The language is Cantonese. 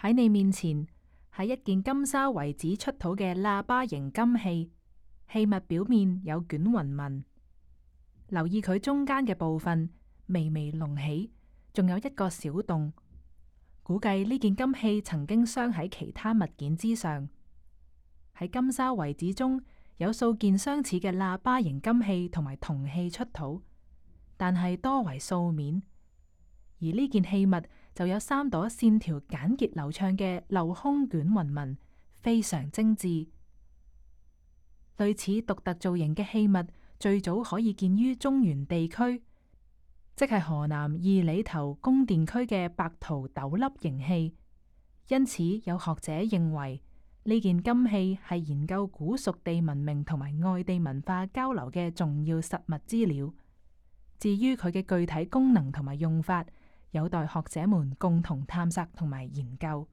喺你面前係一件金沙遺址出土嘅喇叭形金器，器物表面有捲紋紋。留意佢中間嘅部分微微隆起，仲有一個小洞。估計呢件金器曾經鑲喺其他物件之上。喺金沙遺址中有數件相似嘅喇叭形金器同埋銅器出土，但係多為素面。而呢件器物就有3朵線條簡潔流暢嘅鏤空捲紋紋，非常精緻。類似獨特造型嘅器物最早可以見於中原地區，即係河南二里頭宮殿區嘅白陶斗笠形器。因此有學者認為呢件金器係研究古蜀地文明同埋外地文化交流嘅重要實物資料。至於佢嘅具體功能同埋用法，有待學者們共同探索同埋研究。